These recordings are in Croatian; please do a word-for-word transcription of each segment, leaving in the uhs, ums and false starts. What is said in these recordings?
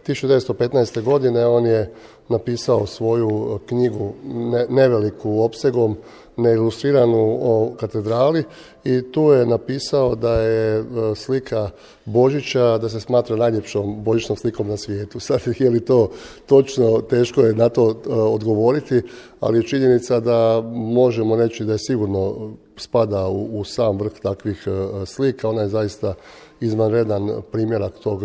tisuću devetsto petnaeste. godine on je napisao svoju knjigu ne, neveliku opsegom, neilustriranu o katedrali i tu je napisao da je slika Božića, da se smatra najljepšom božićnom slikom na svijetu. Sad je li to točno, teško je na to odgovoriti, ali je činjenica da možemo reći da je sigurno spada u, u sam vrh takvih slika. Ona je zaista izvanredan primjerak tog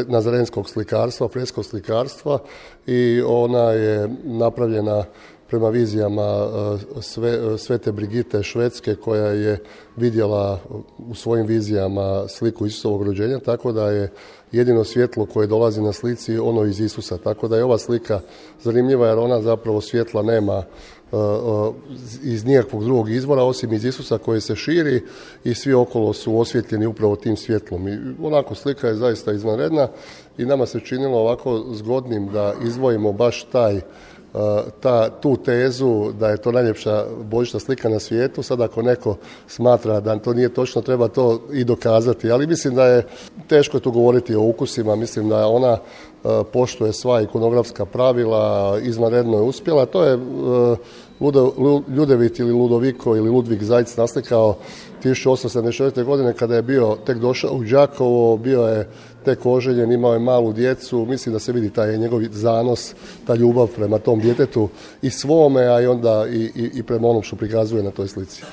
nazarenskog slikarstva, freskog slikarstva i ona je napravljena prema vizijama sve, Svete Brigite Švedske, koja je vidjela u svojim vizijama sliku Isusovog rođenja, tako da je jedino svjetlo koje dolazi na slici ono iz Isusa. Tako da je ova slika zanimljiva jer ona zapravo svjetla nema iz nijakvog drugog izvora osim iz Isusa koji se širi i svi okolo su osvjetljeni upravo tim svjetlom. I onako slika je zaista izvanredna i nama se činilo ovako zgodnim da izdvojimo baš taj Ta, tu tezu da je to najljepša božićna slika na svijetu. Sad ako neko smatra da to nije točno, treba to i dokazati, ali mislim da je teško tu govoriti o ukusima, mislim da ona poštuje sva ikonografska pravila, izvanredno je uspjela. To je Ljudevit ili Ludoviko ili Ludvig Zajc naslikao tisuću osamsto sedamdeset četvrte. godine kada je bio tek došao u Đakovo, bio je tek oženjen, imao je malu djecu, mislim da se vidi taj njegov zanos, ta ljubav prema tom djetetu i svome, a i onda i, i, i prema onom što prikazuje na toj slici.